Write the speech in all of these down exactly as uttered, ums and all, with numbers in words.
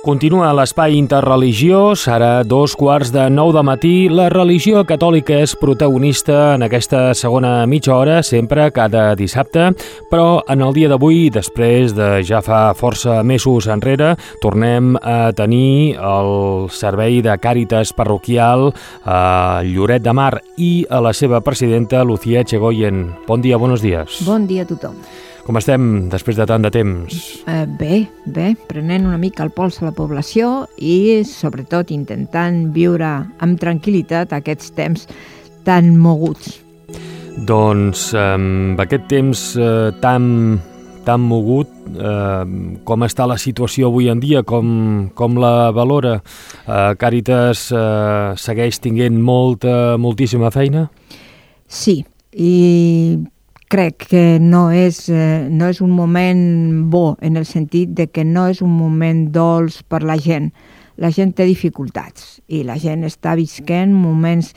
Continua l'espai interreligiós, ara dos quarts de nou de matí. La religió catòlica és protagonista en aquesta segona mitja hora, sempre cada dissabte, però en el dia d'avui, després de ja fa força mesos enrere, tornem a tenir el servei de Càritas parroquial a Lloret de Mar i a la seva presidenta, Lucía Echegoyen. Bon dia, buenos días. Bon dia a tothom. Com estem després de tant de temps? Eh, bé, bé, prenent una mica el pols a la població i sobretot intentant viure amb tranquil·litat aquests temps tan moguts. Doncs amb aquest temps eh, tan, tan mogut, eh, com està la situació avui en dia, com, com la valora? Eh, Càritas eh, segueix tinguent molta, moltíssima feina? Sí, i crec que no és, eh, no és un moment bo, en el sentit de que no és un moment dolç per la gent. La gent té dificultats i la gent està visquent moments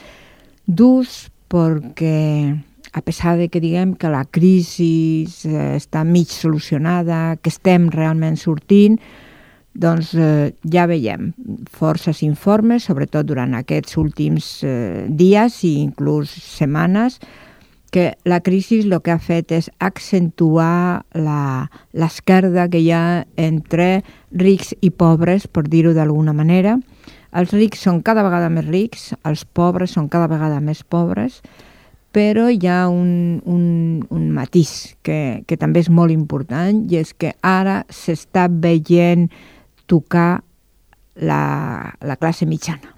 durs perquè, a pesar de que diguem que la crisi eh, està mig solucionada, que estem realment sortint, doncs eh, ja veiem forces informes, sobretot durant aquests últims eh, dies i inclús setmanes, que la crisi el que ha fet és accentuar la, l'esquerda que hi ha entre rics i pobres, per dir-ho d'alguna manera. Els rics són cada vegada més rics, els pobres són cada vegada més pobres, però hi ha un, un, un matís que, que també és molt important, i és que ara s'està veient tocar la, la classe mitjana.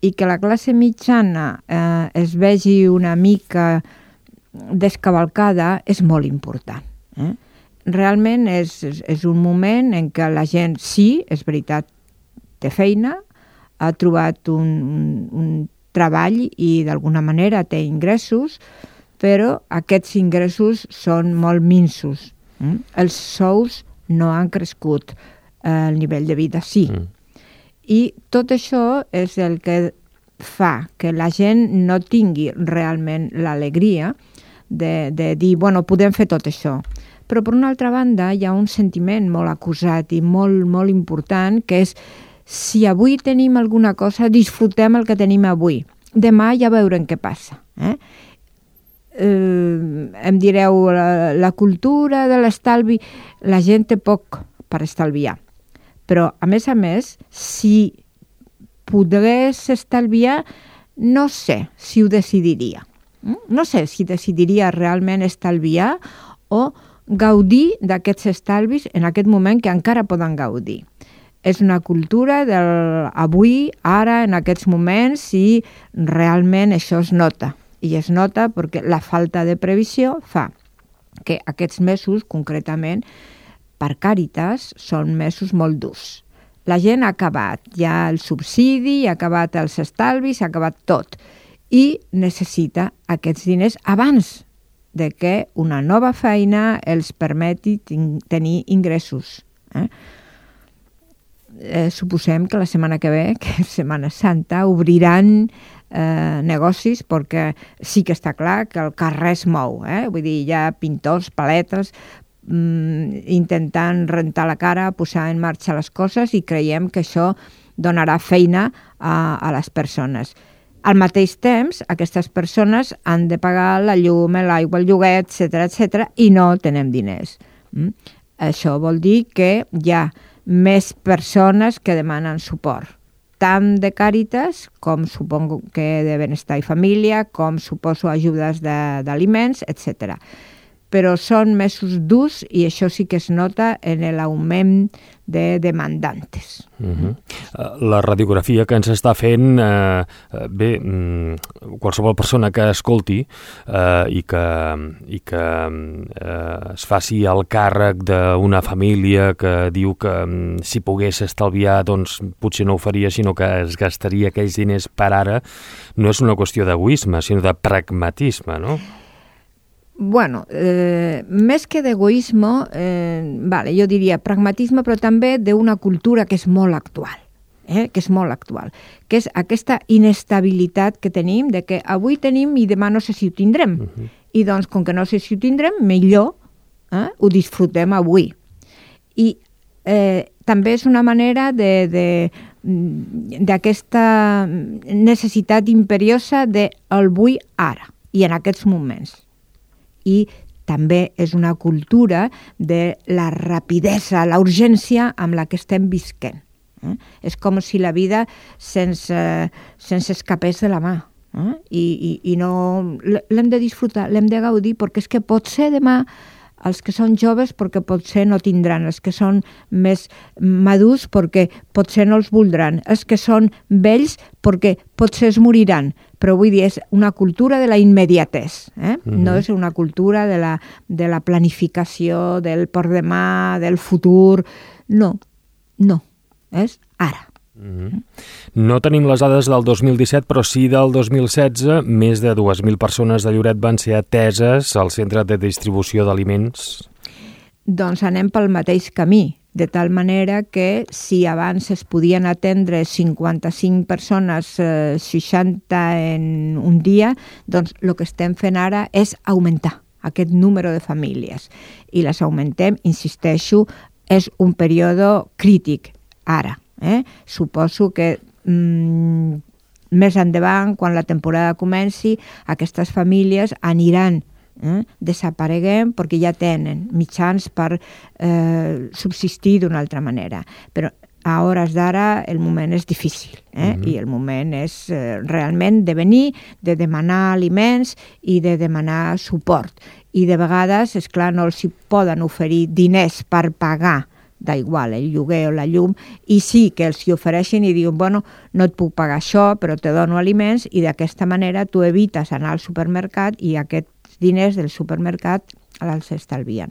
I que la classe mitjana eh, es vegi una mica descavalcada és molt important. Eh? Realment és, és, és un moment en què la gent, sí, és veritat, té feina, ha trobat un, un, un treball i d'alguna manera té ingressos, però aquests ingressos són molt minsos. Eh? Els sous no han crescut, eh, el nivell de vida sí. Mm. I tot això és el que fa que la gent no tingui realment l'alegria de, de dir, bueno, podem fer tot això. Però per una altra banda hi ha un sentiment molt acusat i molt, molt important, que és, si avui tenim alguna cosa, disfrutem el que tenim avui. Demà ja veurem què passa. Eh? Eh, em direu, la, la cultura de l'estalvi, la gent té poc per estalviar. Però, a més a més, si pogués estalviar, no sé si ho decidiria. No sé si decidiria realment estalviar o gaudir d'aquests estalvis en aquest moment que encara poden gaudir. És una cultura del avui, ara, en aquests moments, i realment això es nota. I es nota perquè la falta de previsió fa que aquests mesos, concretament, per Càritas, són mesos molt durs. La gent ha acabat ja el subsidi, ha acabat els estalvis, ha acabat tot. I necessita aquests diners abans de que una nova feina els permeti tenir ingressos. Eh? Eh, suposem que la setmana que ve, que és Setmana Santa, obriran eh, negocis, perquè sí que està clar que el carrer es mou. Eh? Vull dir, hi ha pintors, paletes, intentant rentar la cara, posar en marxa les coses, i creiem que això donarà feina a, a les persones. Al mateix temps, aquestes persones han de pagar la llum, l'aigua, el lloguer, etcètera, etcètera, i no tenen diners. Mm? Això vol dir que hi ha més persones que demanen suport, tant de Càritas, com supongo que de Benestar i Família, com suposo ajudes d'aliments, etcètera. Però són mesos durs i això sí que es nota en l'augment de demandantes. Uh-huh. La radiografia que ens està fent, eh, bé, qualsevol persona que escolti eh, i que, i que eh, es faci el càrrec d'una família que diu que si pogués estalviar, doncs potser no ho faria, sinó que es gastaria aquells diners per ara, no és una qüestió d'egoisme, sinó de pragmatisme, no? Bueno, eh, més que d'egoisme, eh, vale, jo diria pragmatisme, però també d'una cultura que és molt actual, eh, que és molt actual, que és aquesta inestabilitat que tenim, de que avui tenim i demà no sé si ho tindrem. Uh-huh. I doncs, com que no sé si ho tindrem, millor eh, ho disfrutem avui. I eh, també és una manera de, de, d'aquesta necessitat imperiosa de el vull ara i en aquests moments. I també és una cultura de la rapidesa, la urgència amb la que estem visquent. Eh? És com si la vida se'ns, se'ns escapés de la mà. Eh? I, i, i no l'hem de disfrutar, l'hem de gaudir, perquè és que potser demà els que són joves perquè potser no tindran, els que són més madurs perquè potser no els voldran, els que són vells perquè potser es moriran, però vull dir, és una cultura de la immediatesa, eh? Mm-hmm. No és una cultura de la, de la planificació, del por demà, del futur, no, no, és ara. Mm-hmm. No tenim les dades del dos mil disset, però sí del dos mil setze. Més de dues mil persones de Lloret van ser ateses al centre de distribució d'aliments. Doncs anem pel mateix camí, de tal manera que si abans es podien atendre cinquanta-cinc persones, eh, seixanta en un dia, doncs el que estem fent ara és augmentar aquest número de famílies. I les augmentem, insisteixo, és un període crític ara. Eh? Suposo que mm, més endavant, quan la temporada comenci, aquestes famílies aniran eh, desapareguent perquè ja tenen mitjans per eh, subsistir d'una altra manera. Però a hores d'ara el moment és difícil eh? Mm-hmm. I el moment és eh, realment de venir, de demanar aliments i de demanar suport. I de vegades, és clar, no els hi poden oferir diners per pagar da igual, el lloguer o la llum, i sí que els hi ofereixen i diuen, bueno, no et puc pagar això, però te dono aliments, i d'aquesta manera tu evites anar al supermercat i aquests diners del supermercat els estalvien.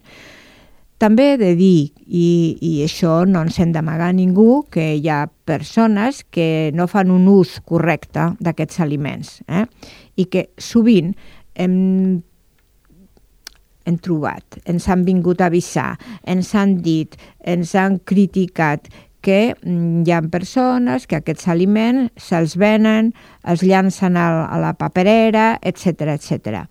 També he de dir, i, i això no ens hem d'amagar a ningú, que hi ha persones que no fan un ús correcte d'aquests aliments, eh? I que sovint hem hem trobat, ens han vingut a avisar, ens han dit, ens han criticat que hi ha persones que aquests aliments se'ls venen, els llancen a, a la paperera, etcètera, etcètera.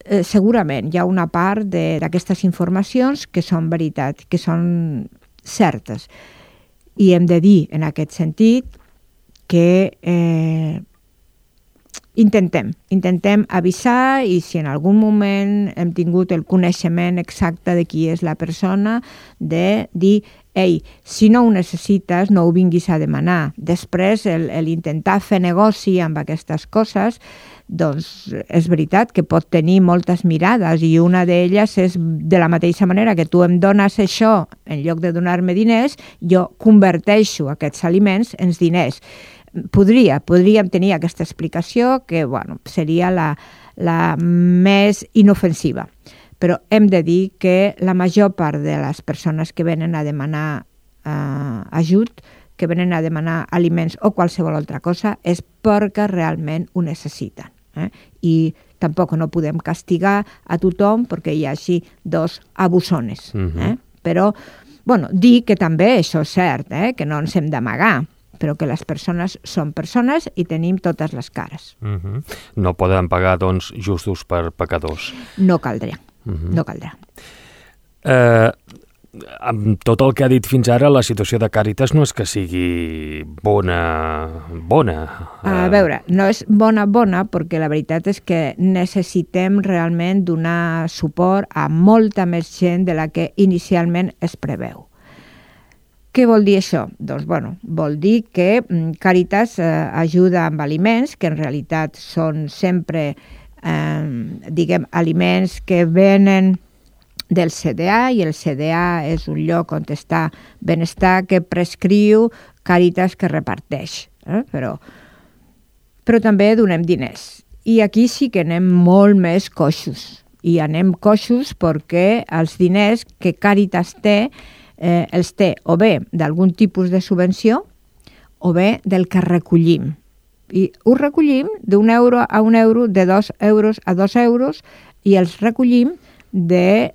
Eh, segurament hi ha una part d'aquestes informacions que són veritat, que són certes. I hem de dir, en aquest sentit, que eh, Intentem, intentem avisar i si en algun moment hem tingut el coneixement exacte de qui és la persona, de dir, ei, si no ho necessites, no ho vinguis a demanar. Després, l'intentar fer negoci amb aquestes coses, doncs és veritat que pot tenir moltes mirades i una d'elles és de la mateixa manera que tu em dones això en lloc de donar-me diners, jo converteixo aquests aliments en diners. Podria, podríem tenir aquesta explicació que bueno, seria la, la més inofensiva. Però hem de dir que la major part de les persones que venen a demanar eh, ajut, que venen a demanar aliments o qualsevol altra cosa, és perquè realment ho necessiten. Eh? I tampoc no podem castigar a tothom perquè hi hagi dos abusones. Mm-hmm. eh? Però bueno, dir que també això és cert, eh? Que no ens hem d'amagar, però que les persones són persones i tenim totes les cares. Uh-huh. No poden pagar, doncs, justos per pecadors. No caldrà, uh-huh. no caldrà. Eh, amb tot el que ha dit fins ara, la situació de Càritas no és que sigui bona, bona. A veure, no és bona, bona, perquè la veritat és que necessitem realment donar suport a molta més gent de la que inicialment es preveu. Què vol dir això? Doncs, bueno, vol dir que Càritas eh, ajuda amb aliments, que en realitat són sempre, eh, diguem, aliments que venen del C D A, i el C D A és un lloc on està benestar que prescriu, Càritas que reparteix. Eh? Però, però també donem diners. I aquí sí que anem molt més coixos. I anem coixos perquè els diners que Càritas té Eh, els té o bé d'algun tipus de subvenció o bé del que recollim. I ho recollim d'un euro a un euro, de dos euros a dos euros, i els recollim de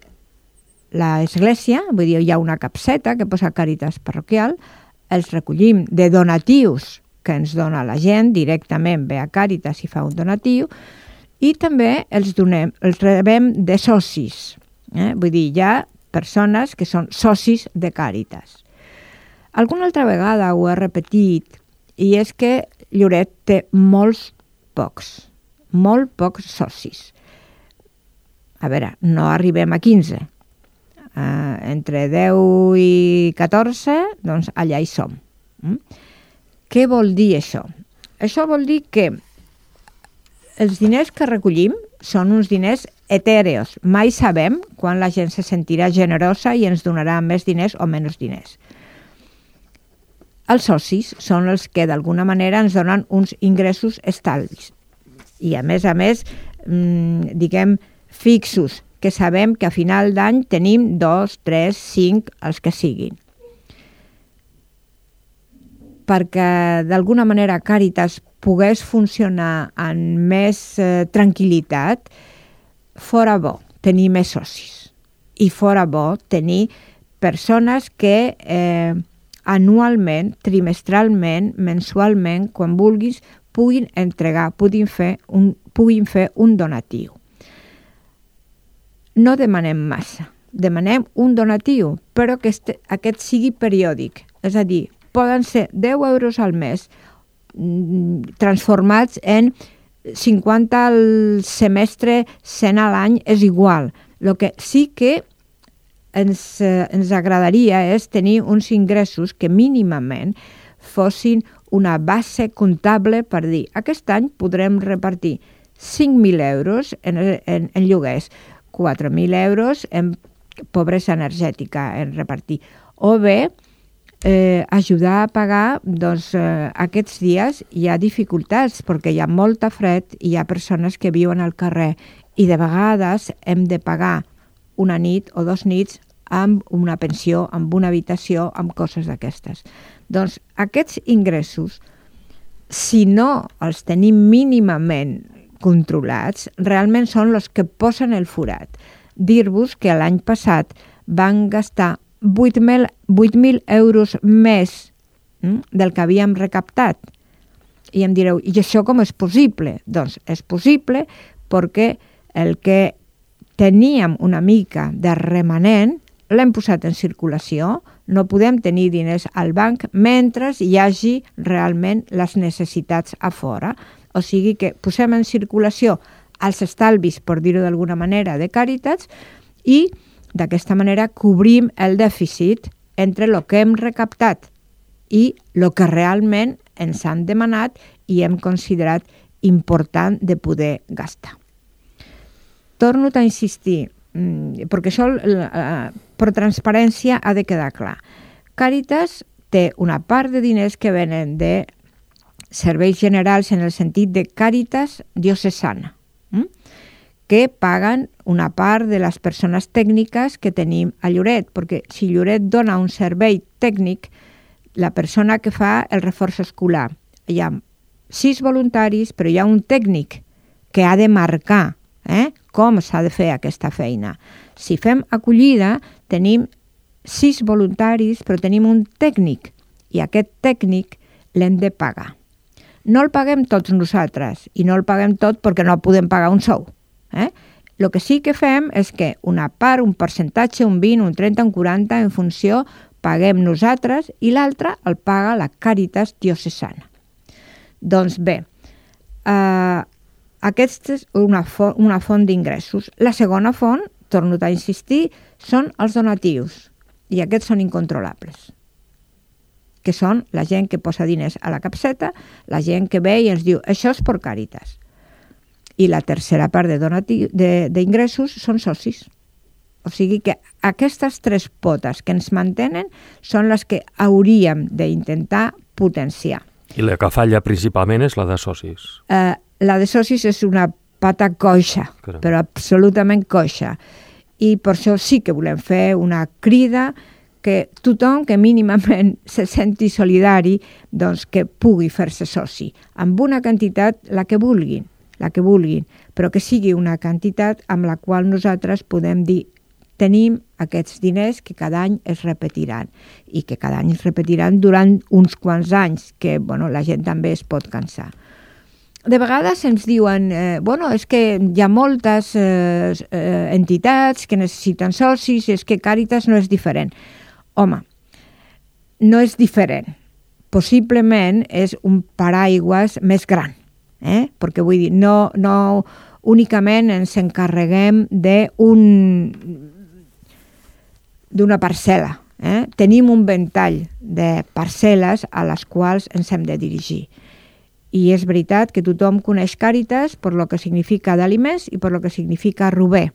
l'església, vull dir, hi ha una capseta que posa Càritas parroquial, els recollim de donatius que ens dona la gent, directament ve a Càritas i fa un donatiu, i també els donem, els rebem de socis. Eh? Vull dir, ja persones que són socis de Càritas. Alguna altra vegada ho he repetit, i és que Lloret té molts pocs, molt pocs socis. A veure, no arribem a quinze. Uh, entre deu i catorze, doncs allà hi som. Mm? Què vol dir això? Això vol dir que els diners que recollim són uns diners etèreos. Mai sabem quan la gent se sentirà generosa i ens donarà més diners o menys diners. Els socis són els que d'alguna manera ens donen uns ingressos estalvis. I a més a més, mmm, diguem, fixos, que sabem que a final d'any tenim dos, tres, cinc, els que siguin. Perquè d'alguna manera Càritas pogués funcionar amb més eh, tranquil·litat, fora bo tenir més socis. I fora bo tenir persones que eh, anualment, trimestralment, mensualment, quan vulguis, puguin entregar, puguin fer un, puguin fer un donatiu. No demanem massa, demanem un donatiu, però que este, aquest sigui periòdic. És a dir, poden ser deu euros al mes transformats en cinquanta al semestre, cent a l'any, és igual. El que sí que ens, eh, ens agradaria és tenir uns ingressos que mínimament fossin una base comptable per dir aquest any podrem repartir cinc mil euros en, en, en lloguers, quatre mil euros en pobresa energètica en repartir, o bé eh, ajudar a pagar doncs, eh, aquests dies hi ha dificultats perquè hi ha molta fred i hi ha persones que viuen al carrer i de vegades hem de pagar una nit o dos nits amb una pensió, amb una habitació, amb coses d'aquestes. Doncs aquests ingressos, si no els tenim mínimament controlats, realment són els que posen el forat. Dir-vos que l'any passat van gastar vuit mil euros més hm, del que havíem recaptat. I em direu, i això com és possible? Doncs és possible perquè el que teníem una mica de remanent l'hem posat en circulació, no podem tenir diners al banc mentre hi hagi realment les necessitats a fora. O sigui que posem en circulació els estalvis, per dir-ho d'alguna manera, de Càritas i d'aquesta manera cobrim el dèficit entre el que hem recaptat i el que realment ens han demanat i hem considerat important de poder gastar. Torno a insistir, perquè això per transparència ha de quedar clar. Càritas té una part de diners que venen de serveis generals en el sentit de Càritas diocesana, que paguen una part de les persones tècniques que tenim a Lloret, perquè si Lloret dona un servei tècnic, la persona que fa el reforç escolar, hi ha sis voluntaris, però hi ha un tècnic que ha de marcar eh, com s'ha de fer aquesta feina. Si fem acollida, tenim sis voluntaris, però tenim un tècnic, i aquest tècnic l'hem de pagar. No el paguem tots nosaltres, i no el paguem tot perquè no podem pagar un sou. Eh? El que sí que fem és que una part, un percentatge, un vint, un trenta, un quaranta, en funció, paguem nosaltres i l'altre el paga la Càritas diocesana. Doncs bé, eh, aquesta és una font, una font d'ingressos. La segona font, torno a insistir, són els donatius i aquests són incontrolables, que són la gent que posa diners a la capseta, la gent que ve i ens diu això és per Càritas. I la tercera part d'ingressos són socis. O sigui que aquestes tres potes que ens mantenen són les que hauríem d'intentar potenciar. I la que falla principalment és la de socis. Eh, la de socis és una pata coixa, Caram. però absolutament coixa. I per això sí que volem fer una crida que tothom que mínimament se senti solidari, doncs que pugui fer-se soci, amb una quantitat, la que vulguin, la que vulguin, però que sigui una quantitat amb la qual nosaltres podem dir tenim aquests diners que cada any es repetiran i que cada any es repetiran durant uns quants anys, que bueno, la gent també es pot cansar. de vegades ens diuen eh, bueno, és que hi ha moltes eh, eh, entitats que necessiten socis i és que Càritas no és diferent. Home, no és diferent. Possiblement és un paraigües més gran, eh? Perquè vull dir, no, no únicament ens encarreguem d'un d'una parcel·la. Eh? Tenim un ventall de parcel·les a les quals ens hem de dirigir. I és veritat que tothom coneix Càritas per lo que significa d'aliments i per lo que significa Rober.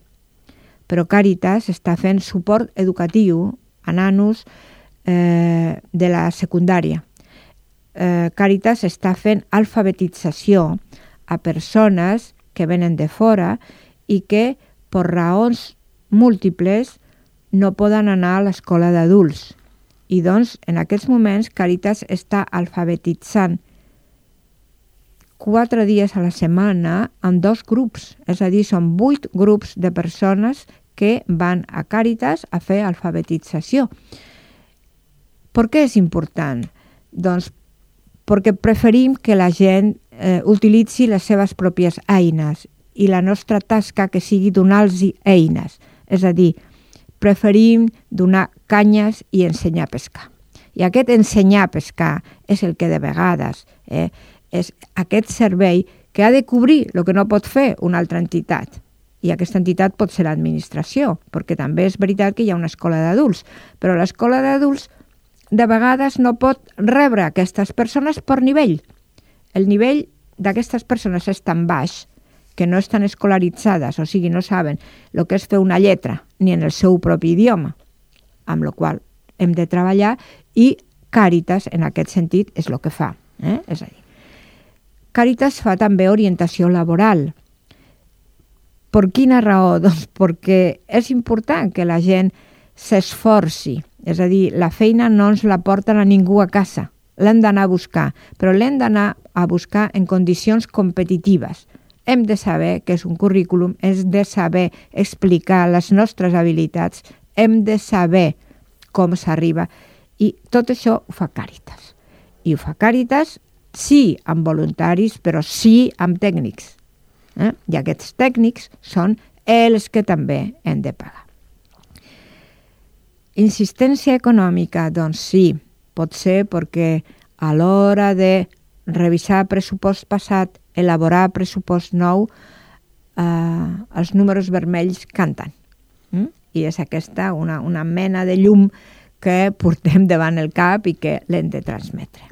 Però Càritas està fent suport educatiu a nanos eh, de la secundària. Eh, Càritas està fent alfabetització a persones que venen de fora i que, per raons múltiples, no poden anar a l'escola d'adults. I doncs, en aquests moments, Càritas està alfabetitzant quatre dies a la setmana en dos grups. És a dir, són vuit grups de persones que van a Càritas a fer alfabetització. Per què és important? Doncs perquè preferim que la gent eh, utilitzi les seves pròpies eines i la nostra tasca que sigui donar-los eines. És a dir, preferim donar canyes i ensenyar a pescar. I aquest ensenyar a pescar és el que de vegades eh, és aquest servei que ha de cobrir el que no pot fer una altra entitat. I aquesta entitat pot ser l'administració, perquè també és veritat que hi ha una escola d'adults, però l'escola d'adults de vegades no pot rebre aquestes persones per nivell. El nivell d'aquestes persones és tan baix que no estan escolaritzades, o sigui, no saben el que és fer una lletra, ni en el seu propi idioma, amb la qual hem de treballar, i Càritas, en aquest sentit, és el que fa. Eh? És a dir, Càritas fa també orientació laboral. Per quina raó? Doncs perquè és important que la gent s'esforci. És a dir, la feina no ens la porten a ningú a casa. L'hem d'anar a buscar, però l'hem d'anar a buscar en condicions competitives. Hem de saber què és un currículum, hem de saber explicar les nostres habilitats, hem de saber com s'arriba. I tot això ho fa Càritas. I ho fa Càritas sí amb voluntaris, però sí amb tècnics. Eh? I aquests tècnics són els que també hem de pagar. Insistència econòmica, doncs sí, pot ser perquè a l'hora de revisar pressupost passat, elaborar pressupost nou, eh, els números vermells canten. Mm? I és aquesta una, una mena de llum que portem davant el cap i que l'hem de transmetre.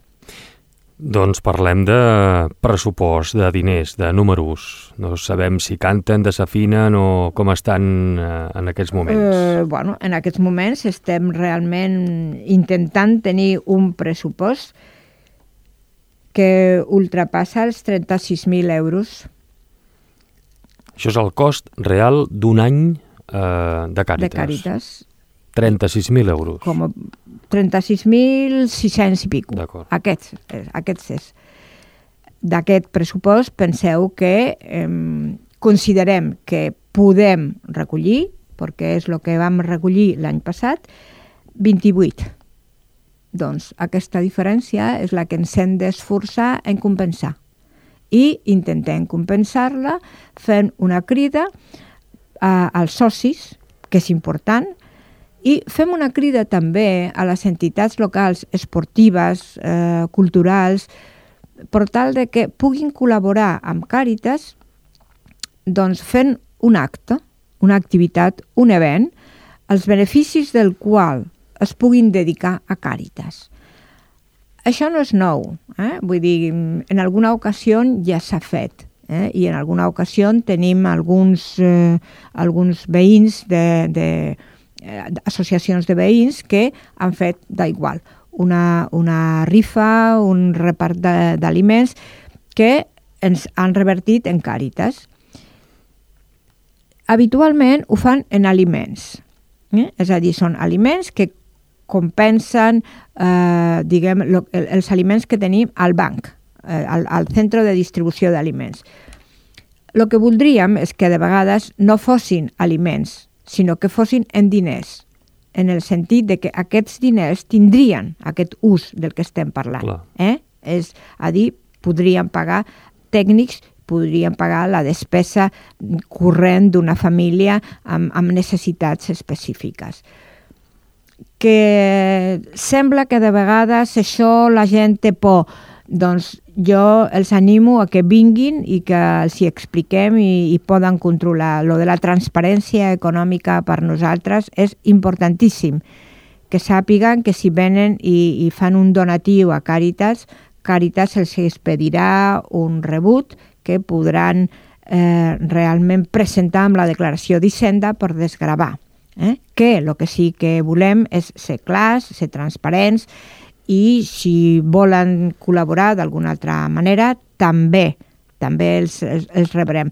Doncs parlem de pressupost, de diners, de números. No sabem si canten, desafinen o com estan en aquests moments. Eh, bueno, en aquests moments estem realment intentant tenir un pressupost que ultrapassa els trenta-sis mil euros. Això és el cost real d'un any eh, de Càritas. De Càritas. trenta-sis mil euros. Com trenta-sis mil sis-cents i pico. D'acord. Aquests, aquests és. D'aquest pressupost penseu que eh, considerem que podem recollir, perquè és el que vam recollir l'any passat, vint-i-vuit. Doncs aquesta diferència és la que ens hem d'esforçar en compensar. I intentem compensar-la fent una crida a, als socis, que és important, i fem una crida també a les entitats locals esportives, eh, culturals, per tal de que puguin col·laborar amb Càritas doncs fent un acte, una activitat, un event, els beneficis del qual es puguin dedicar a Càritas. Això no és nou, eh? Vull dir, en alguna ocasió ja s'ha fet, eh? I en alguna ocasió tenim alguns, eh, alguns veïns de... de associacions de veïns que han fet d'igual una, una rifa, un repart d'aliments que ens han revertit en Càritas. Habitualment ho fan en aliments, eh? És a dir, són aliments que compensen eh, diguem, lo, els aliments que tenim al banc, eh, al, al centre de distribució d'aliments. El que voldríem és que de vegades no fossin aliments, sinó que fossin en diners, en el sentit de que aquests diners tindrien aquest ús del que estem parlant. Eh? És a dir, podríem pagar tècnics podrien pagar la despesa corrent d'una família amb, amb necessitats específiques. Que sembla que de vegades això la gent té por. Doncs jo els animo a que vinguin i que els hi expliquem i, i poden controlar. Lo de la transparència econòmica per nosaltres és importantíssim. Que sàpiguen que si venen i, i fan un donatiu a Càritas, Càritas els expedirà un rebut que podran eh, realment presentar amb la declaració d'Hisenda per desgravar. Eh? Que el que sí que volem és ser clars, ser transparents, i si volen col·laborar d'alguna altra manera, també, també els, els, els rebrem.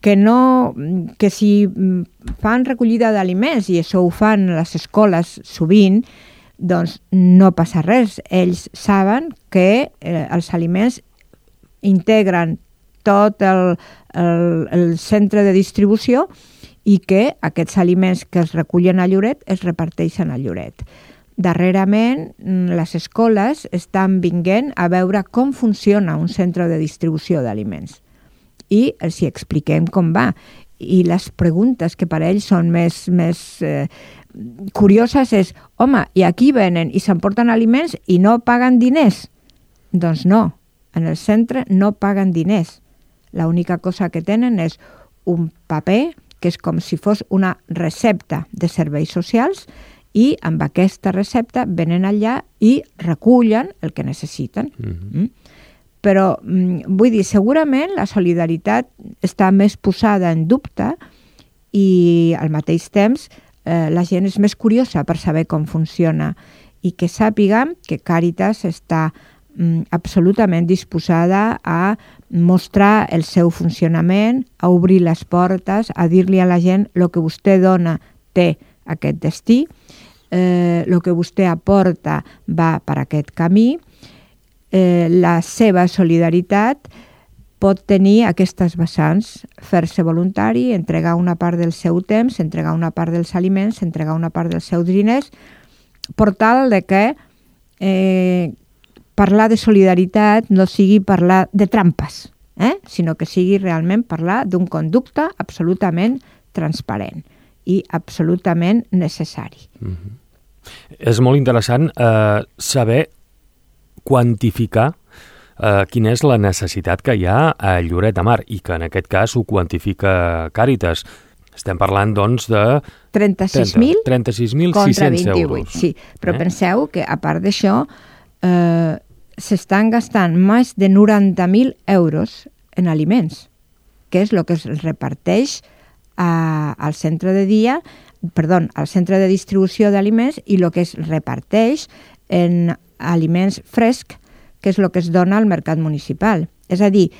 Que, no, que si fan recollida d'aliments, i això ho fan les escoles sovint, doncs no passa res. Ells saben que eh, els aliments integren tot el, el, el centre de distribució i que aquests aliments que es recullen a Lloret es reparteixen a Lloret. Darrerament, les escoles estan vinguent a veure com funciona un centre de distribució d'aliments i els hi expliquem com va. I les preguntes que per ells són més, més eh, curioses és, home, i aquí venen i s'emporten aliments i no paguen diners? Doncs no, en el centre no paguen diners. L'única cosa que tenen és un paper que és com si fos una recepta de serveis socials i amb aquesta recepta venen allà i recullen el que necessiten. Mm-hmm. Mm? Però vull dir, segurament la solidaritat està més posada en dubte i al mateix temps eh, la gent és més curiosa per saber com funciona i que sàpiguen que Càritas està mm, absolutament disposada a mostrar el seu funcionament, a obrir les portes, a dir-li a la gent el que vostè dona té aquest destí, el eh, que vostè aporta va per aquest camí. Eh, la seva solidaritat pot tenir aquestes vessants, fer-se voluntari, entregar una part del seu temps, entregar una part dels aliments, entregar una part dels seus diners, per tal de que eh, parlar de solidaritat no sigui parlar de trampes, eh? sinó que sigui realment parlar d'un conducte absolutament transparent i absolutament necessari. Mm-hmm. És molt interessant eh, saber quantificar eh, quina és la necessitat que hi ha a Lloret de Mar i que en aquest cas ho quantifica Càritas. Estem parlant, doncs, de trenta-sis mil contra vint-i-vuit. Sí, però eh? penseu que, a part d'això, eh, s'estan gastant més de noranta mil euros en aliments, que és el que es reparteix a, al centre de dia, perdó, al centre de distribució d'aliments i el que es reparteix en aliments frescs, que és el que es dona al mercat municipal. És a dir,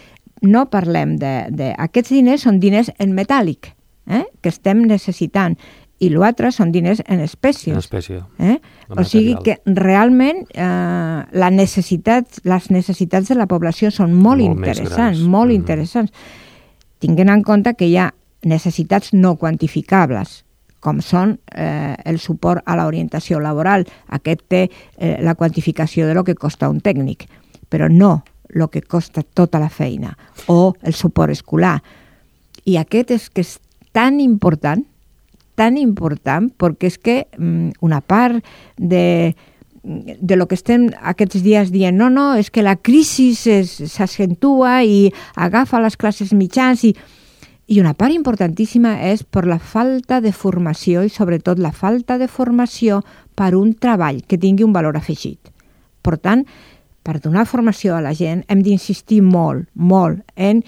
no parlem de... de aquests diners són diners en metàl·lic, eh? que estem necessitant, i l'altre són diners en espècies. En espècie. Eh? O sigui que realment eh, la necessitat, les necessitats de la població són molt, molt interessants, molt mm-hmm. interessants. Tinguent en compte que hi ha necessitats no quantificables, com són eh, el suport a l'orientació laboral. Aquest té eh, la quantificació de lo que costa un tècnic, però no el que costa tota la feina, o el suport escolar. I aquest és que és tan important, tan important, perquè és que mm, una part de, de lo que estem aquests dies dient, no, no, és que la crisi s'accentua i agafa les classes mitjans i I una part importantíssima és per la falta de formació i sobretot la falta de formació per un treball que tingui un valor afegit. Per tant, per donar formació a la gent hem d'insistir molt, molt en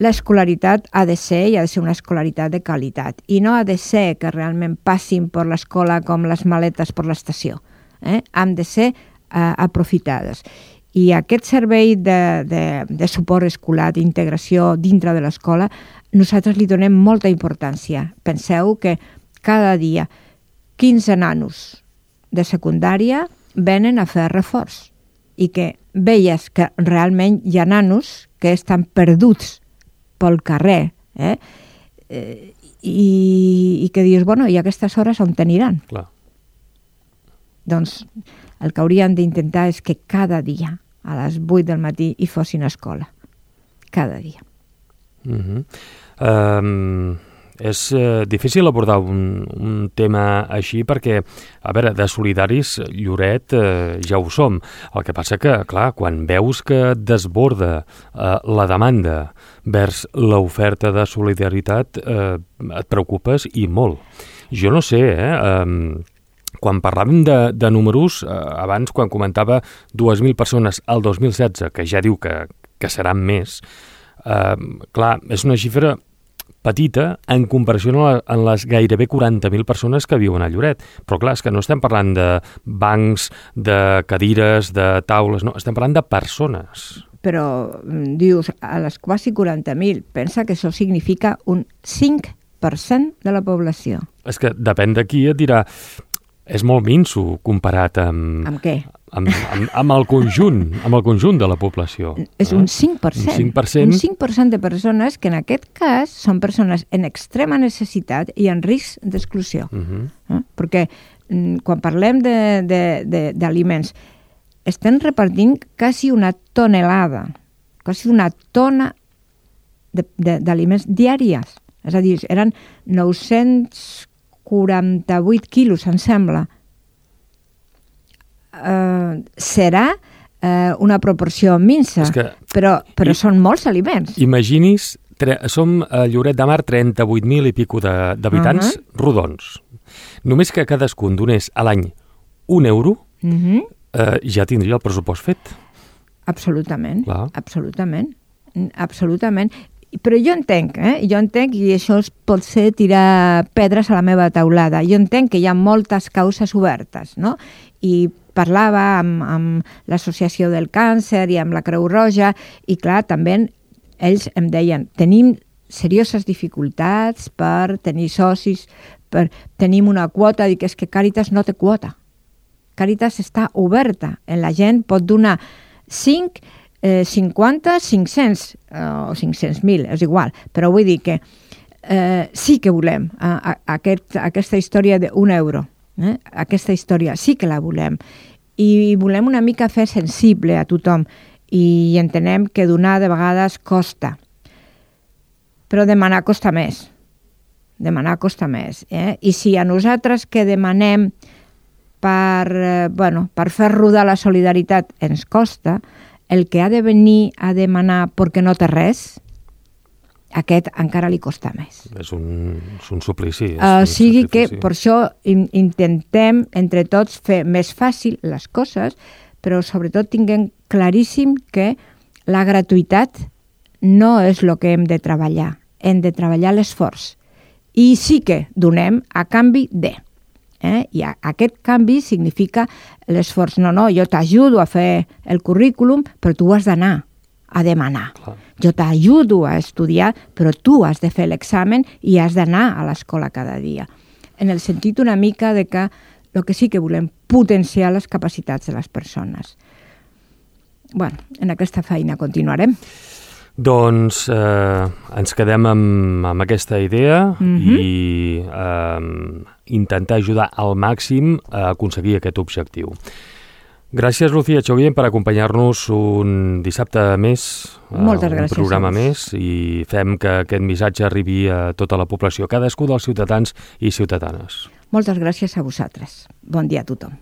l'escolaritat ha de ser i ha de ser una escolaritat de qualitat i no ha de ser que realment passin per l'escola com les maletes per l'estació. Eh? Han de ser eh, aprofitades. I aquest servei de, de, de suport escolar, d'integració dintre de l'escola, nosaltres li donem molta importància. Penseu que cada dia quinze nanos de secundària venen a fer reforç i que veies que realment hi ha nanos que estan perduts pel carrer eh? Eh, i, i que dius, bueno, i a aquestes hores on t'aniran? Clar. Doncs el que haurien d'intentar és que cada dia a les vuit del matí hi fossin a escola. cada dia. Uh-huh. Um, és uh, difícil abordar un, un tema així perquè, a veure, de solidaris, Lloret, uh, ja ho som. El que passa que, clar, quan veus que desborda uh, la demanda vers l'oferta de solidaritat, uh, et preocupes i molt. Jo no sé, eh? Um, quan parlàvem de, de números, uh, abans, quan comentava dues mil persones al dos mil setze, que ja diu que, que seran més, uh, clar, és una xifra petita en comparació amb les gairebé quaranta mil persones que viuen a Lloret. Però clar, és que no estem parlant de bancs, de cadires, de taules, no, estem parlant de persones. Però dius, a les quasi quaranta mil, pensa que això significa un cinc per cent de la població. És que depèn de qui et dirà, és molt minso comparat amb... Amb què? Amb, amb, amb el conjunt, amb el conjunt de la població. És un cinc per cent. Un cinc per cent. Un cinc per cent de persones que en aquest cas són persones en extrema necessitat i en risc d'exclusió. Uh-huh. eh? Perquè mm, quan parlem d'aliments, estem repartint quasi una tonelada, quasi una tona d'aliments diàries. És a dir, eren nou-cents quaranta-vuit quilos, em sembla. Uh, serà uh, una proporció minsa, que, però, però i, són molts aliments. Imagini's, tre, som a Lloret de Mar trenta-vuit mil i pico d'habitants uh -huh. rodons. Només que cadascun donés a l'any un euro, uh -huh. uh, ja tindria el pressupost fet. Absolutament, Clar. absolutament, absolutament. Però jo entenc, eh? jo entenc, i això pot ser tirar pedres a la meva taulada, jo entenc que hi ha moltes causes obertes, no? I parlava amb, amb l'Associació del Càncer i amb la Creu Roja, i clar, també ells em deien, tenim serioses dificultats per tenir socis, per, tenim una quota, dic, és que Càritas no té quota. Càritas està oberta, la gent pot donar cinc, eh, cinquanta, cinc-cents o cinc-cents mil, és igual, però vull dir que eh, sí que volem a, a, aquest, aquesta història d'un euro. Eh? Aquesta història sí que la volem i volem una mica fer sensible a tothom i entenem que donar de vegades costa, però demanar costa més, demanar costa més. Eh? I si a nosaltres que demanem per, eh, bueno, per fer rodar la solidaritat ens costa, el que ha de venir a demanar perquè no té res, aquest encara li costa més. És un, és un suplici. És uh, un sigui sacrifici. que per això in, intentem entre tots fer més fàcil les coses, però sobretot tinguem claríssim que la gratuïtat no és el que hem de treballar, hem de treballar l'esforç. I sí que donem a canvi de. Eh? I a, aquest canvi significa l'esforç. No, no, jo t'ajudo a fer el currículum, però tu has d'anar a demanar. Clar. Jo t'ajudo a estudiar, però tu has de fer l'examen i has d'anar a l'escola cada dia. En el sentit una mica de que el que sí que volem potenciar les capacitats de les persones. Bueno, en aquesta feina continuarem. Doncs eh, ens quedem amb, amb aquesta idea mm-hmm. i eh, intentar ajudar al màxim a aconseguir aquest objectiu. Gràcies, Lucía Echeguien, per acompanyar-nos un dissabte més, Moltes un gràcies, programa més, i fem que aquest missatge arribi a tota la població, cadascú dels ciutadans i ciutadanes. Moltes gràcies a vosaltres. Bon dia a tothom.